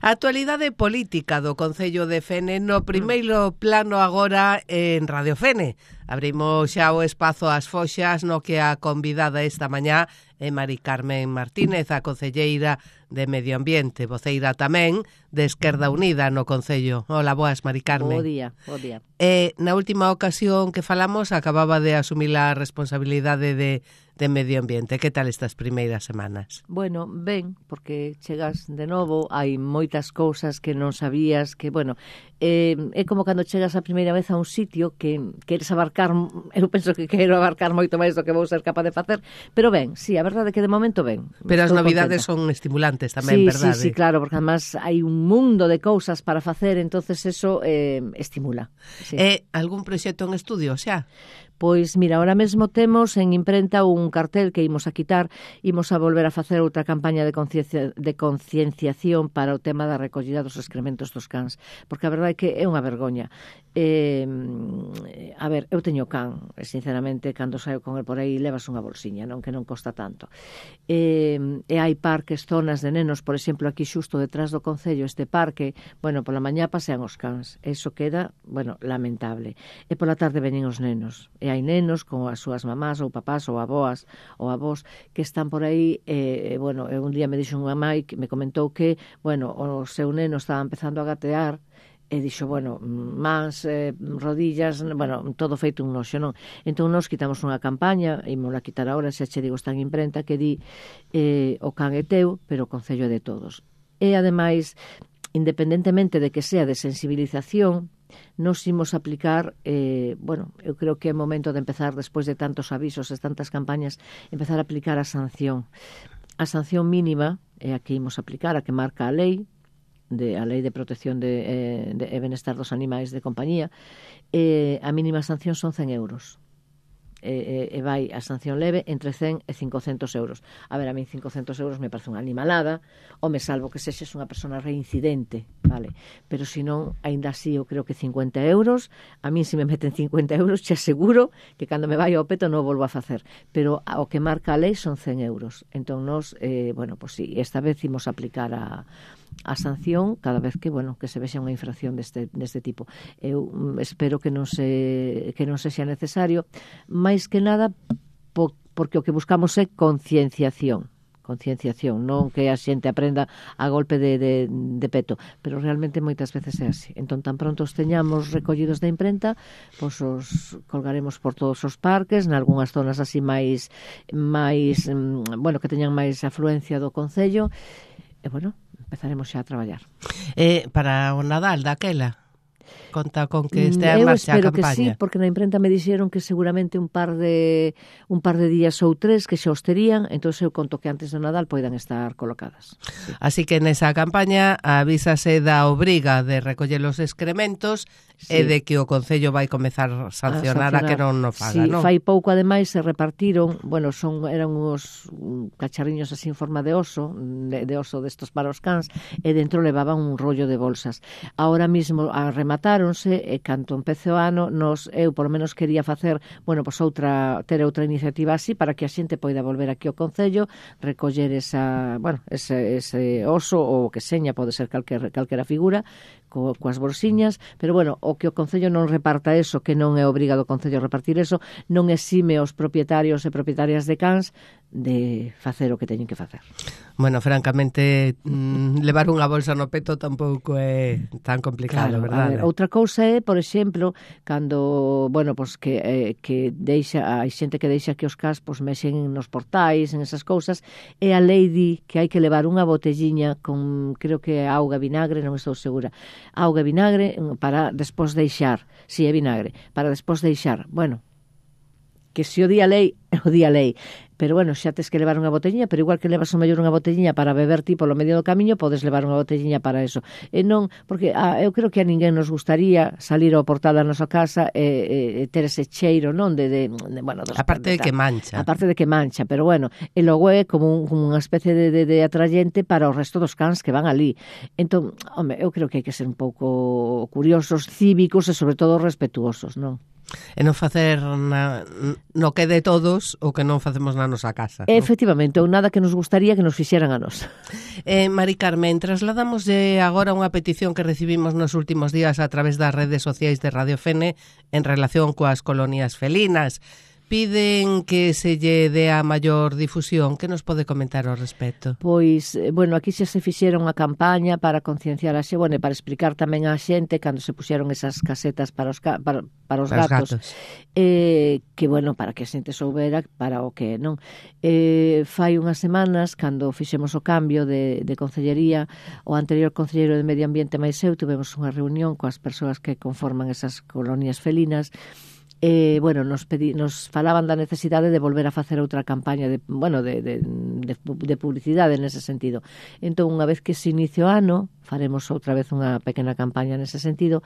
A actualidade política do Concello de Fene no primeiro plano agora en Radio Fene. Abrimos xa o espazo ás foxas no que a convidada esta mañá é Mari Carmen Martínez, a concelleira de Medio Ambiente, voceira tamén de Esquerda Unida no Concello. Hola, boas, Mari Carmen. Bo día, bo día. Na última ocasión que falamos acababa de asumir a responsabilidade de Medio Ambiente. Que tal estas primeiras semanas? Bueno, ben, porque chegas de novo, hai moitas cousas que non sabías, que, bueno, é como cando chegas a primeira vez a un sitio que queres abarcar, eu penso que quero abarcar moito máis do que vou ser capaz de facer, pero ben, sí, a verdade é que de momento ben. Pero as novidades son estimulantes tamén, sí, verdade? Sí, claro, porque además hai un mundo de cousas para facer, entonces eso estimula. Sí. Algún proxecto en estudio, xa? Pois, mira, ahora mesmo temos en imprenta un cartel que imos a quitar, imos a volver a facer outra campaña de concienciación para o tema da recollida dos excrementos dos cans, porque a verdade é que é unha vergoña. A ver, eu teño can, sinceramente, cando saio con el por aí levas unha bolsiña, non, que non costa tanto. E hai parques, zonas de nenos, por exemplo, aquí xusto detrás do Concello, este parque, bueno, pola mañá pasean os cans, eso queda, bueno, lamentable. E pola tarde veñen os nenos, e hai nenos con as súas mamás ou papás ou avós que están por aí, bueno, un día me dixo unha mãe que me comentou que, bueno, o seu neno estaba empezando a gatear e dixo, bueno, mans, rodillas, bueno, todo feito un noxo, non? Entón nos quitamos unha campaña, ímola quitar agora, xa che digo, está en imprenta, que di o can é teu, pero o Concello é de todos. E, ademais, independentemente de que sea de sensibilización, nos imos aplicar, bueno, eu creo que é momento de empezar, despois de tantos avisos e tantas campañas, empezar a aplicar a sanción. A sanción mínima é a que imos aplicar, a que marca a lei de protección de benestar dos animais de compañía. A mínima sanción son 100 euros. E vai a sanción leve entre 100 e 500 euros. A ver, a mí 500 euros me parece unha animalada, ou me salvo que sexes unha persona reincidente, vale? Pero se non, ainda así eu creo que 50 euros, a mí se me meten 50 euros, te aseguro que cando me vai ao peto non volvo a facer. Pero o que marca a lei son 100 euros. Entón nos, bueno, pues sí, esta vez imos aplicar a sanción cada vez que, bueno, que se vexa unha infracción deste tipo. Eu espero que non sexa necesario, máis que nada porque o que buscamos é concienciación, non que a xente aprenda a golpe de peto, pero realmente moitas veces é así. Entón, tan pronto os teñamos recollidos da imprenta, pois os colgaremos por todos os parques, nalgúnas zonas así máis bueno, que teñan máis afluencia do Concello, e, bueno, empezaremos xa a traballar. Para o Nadal daquela, conta con que estea en marcha a campaña. Eu espero que sí, porque na imprenta me dixeron que seguramente un par de días ou 3 que xa os terían, entón eu conto que antes do Nadal poidan estar colocadas. Sí. Así que nesa campaña avísase da obriga de recoller os excrementos, sí, e de que o Concello vai comezar a sancionar a que non o faga, sí, non? Fai pouco, ademais, se repartiron, bueno, eran uns cacharriños así en forma de oso, de oso destos para os cans, e dentro levaban un rollo de bolsas. Ahora mismo rematáronse, e canto empece o ano, eu polo menos quería facer, bueno, pues ter outra iniciativa así para que a xente poida volver aquí ao Concello, recoller ese oso ou que seña, pode ser calquera figura, coas bolsiñas, pero bueno, o que o Concello non reparta eso, que non é obrigado o Concello a repartir eso, non exime os propietarios e propietarias de cans de facer o que teñen que facer. Bueno, francamente, levar unha bolsa no peto tampouco é tan complicado, claro, verdade? A ver, outra cousa é, por exemplo, cando, bueno, pues que hai xente que deixa que os cans pues, mexen nos portais, en esas cousas, e a lei di que hai que levar unha botelliña con, creo que auga e vinagre, non estou segura, auga e vinagre para despois deixar, si é vinagre, para despois deixar, bueno, que se o di a lei, pero bueno, xa tes que levar unha botelliña, pero igual que levas o mellor unha botelliña para beber ti polo medio do camiño, podes levar unha botelliña para eso. E non, porque eu creo que a ninguén nos gustaría salir ao portal da nosa casa e ter ese cheiro, non? Bueno, aparte de que mancha. Aparte de que mancha, pero bueno, e logo é como unha especie de atrayente para o resto dos cans que van ali. Entón, home, eu creo que hai que ser un pouco curiosos, cívicos e sobre todo respetuosos, non? E non facer no que de todos o que non facemos na nosa casa. Efectivamente, ou nada que nos gustaría que nos fixeran a nós. Mari Carmen, trasladamos agora unha petición que recibimos nos últimos días a través das redes sociais de Radio Fene en relación coas colonias felinas. Piden que se lle dea maior difusión. Que nos pode comentar ao respecto? Pois, bueno, aquí xa se fixeron unha campaña para concienciar a xente, para explicar tamén a xente cando se puxeron esas casetas para os gatos. Que, bueno, para que a xente soubera para o que, non? Fai unhas semanas, cando fixemos o cambio de concellería, o anterior concelleiro de Medio Ambiente máis eu, tuvemos unha reunión coas persoas que conforman esas colonias felinas. Bueno, nos falaban da necesidade de volver a facer outra campaña de publicidade nese sentido. Entón, unha vez que se inicie o ano, faremos outra vez unha pequena campaña nese sentido.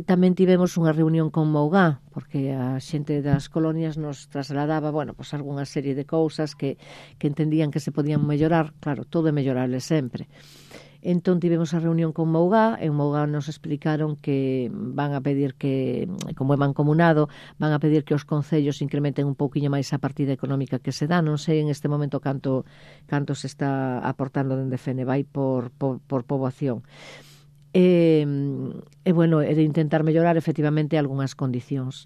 Tamén tivemos unha reunión con Mougá, porque a xente das colonias nos trasladaba, bueno, pues algunha serie de cousas que entendían que se podían mellorar. Claro, todo é mellorable sempre. Entón tivemos a reunión con Mougá, e en Mougá nos explicaron que van a pedir que, como é mancomunado, van a pedir que os concellos incrementen un pouquiño máis a partida económica que se dá. Non sei en este momento canto se está aportando dende Fene, vai por poboación. Bueno, é de intentar mellorar efectivamente algunhas condicións.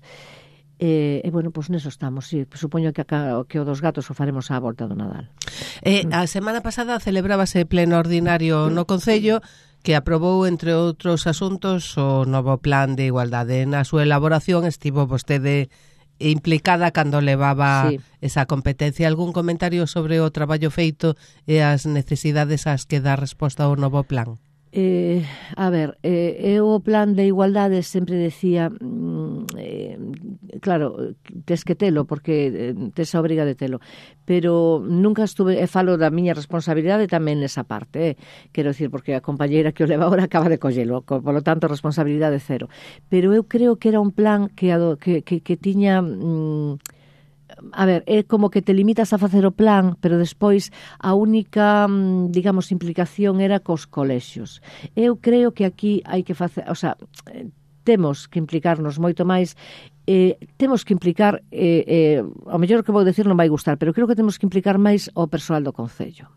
Bueno, pois neso estamos, sí. Supoño que o dos gatos o faremos á volta do Nadal. A semana pasada celebrábase pleno ordinario no Concello que aprobou, entre outros asuntos, o novo plan de igualdade. Na súa elaboración estivo vostede implicada cando levaba esa competencia. Algún comentario sobre o traballo feito e as necesidades ás que dá resposta o novo plan? A ver, eu o plan de igualdade sempre decía, claro, tes que telo, porque tes a obriga de telo, pero nunca estuve, falo da miña responsabilidade tamén nesa parte, quero dicir, porque a compañeira que o leva agora acaba de collelo, polo tanto, responsabilidade cero. Pero eu creo que era un plan que tiña... A ver, é como que te limitas a facer o plan, pero despois a única, digamos, implicación era cos colexios. Eu creo que aquí hai que facer, o sea, temos que implicarnos moito máis, temos que implicar, ao mellor o que vou decir non vai gustar, pero creo que temos que implicar máis ao persoal do Concello.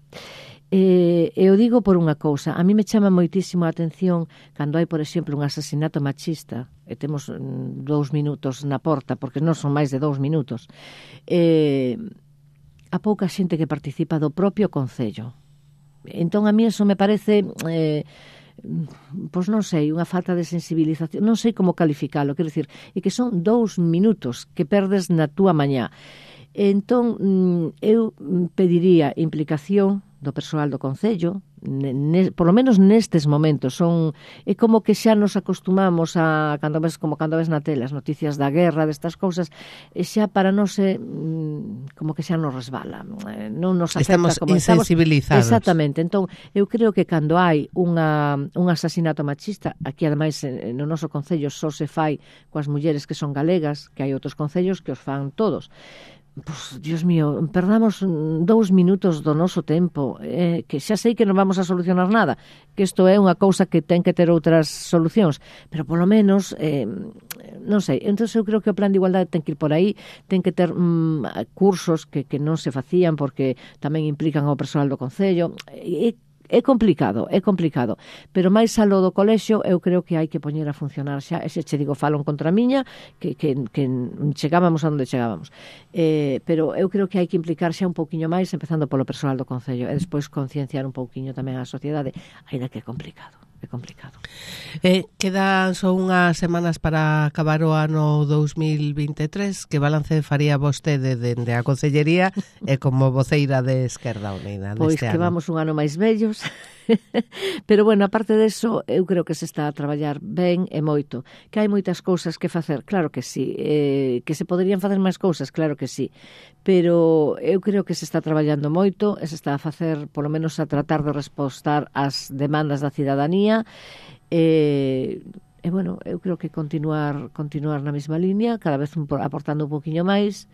Eu digo por unha cousa, a mí me chama moitísimo a atención cando hai, por exemplo, un asasinato machista e temos 2 minutos na porta, porque non son máis de 2 minutos, a pouca xente que participa do propio Concello. Entón a mí eso me parece pois non sei, unha falta de sensibilización, non sei como calificalo, quero dicir, e que son 2 minutos que perdes na túa mañá. Entón, eu pediría implicación do persoal do Concello, por lo menos nestes momentos. É como que xa nos acostumamos a, cando ves na tele as noticias da guerra, destas cousas, e xa para non se, como que xa nos resbala, non nos afecta. Estamos insensibilizados. Exactamente. Entón, eu creo que cando hai un asasinato machista, aquí ademais no noso Concello só se fai coas mulleres que son galegas, que hai outros concellos que os fan todos. Pois, Dios mío, perdamos 2 minutos do noso tempo, que xa sei que non vamos a solucionar nada, que isto é unha cousa que ten que ter outras solucións, pero polo menos, non sei, entón eu creo que o plan de igualdade ten que ir por aí, ten que ter cursos que non se facían porque tamén implican ao persoal do Concello. É complicado, pero máis aló do colexio eu creo que hai que poñer a funcionar xa, ese che digo, falo en contra miña, que chegábamos a onde chegábamos, pero eu creo que hai que implicar xa un pouquiño máis, empezando polo persoal do Concello, e despois concienciar un pouquiño tamén a sociedade, aínda que é complicado. Quedan só unhas semanas para acabar o ano 2023. Que balance faría vostede dende a Concellería e como voceira de Esquerda Unida pois neste ano? Pois que vamos un ano máis vellos. Pero, bueno, aparte deso, eu creo que se está a traballar ben e moito. Que hai moitas cousas que facer, claro que sí. Que se poderían facer máis cousas, claro que sí. Pero eu creo que se está traballando moito e se está a facer, polo menos a tratar de respostar ás demandas da cidadanía. Bueno, eu creo que continuar na mesma línea, cada vez aportando un poquinho máis.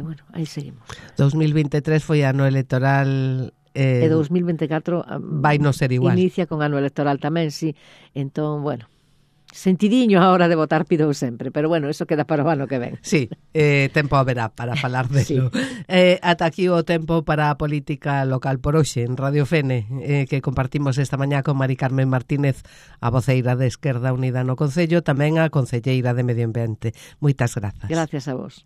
Bueno, aí seguimos. 2023 foi ano electoral. E 2024 vai non ser igual. Inicia con ano electoral tamén, sí. Entón, bueno, Sentidiño a hora de votar pidou sempre, pero bueno, eso queda para o ano que ven. Sí, tempo haberá para falar delo. Sí. Ata aquí o tempo para a política local por hoxe en Radio Fene, que compartimos esta mañá con Mari Carmen Martínez, a voceira de Esquerda Unida no Concello, tamén a concelleira de Medio Ambiente. Moitas grazas. Gracias a vos.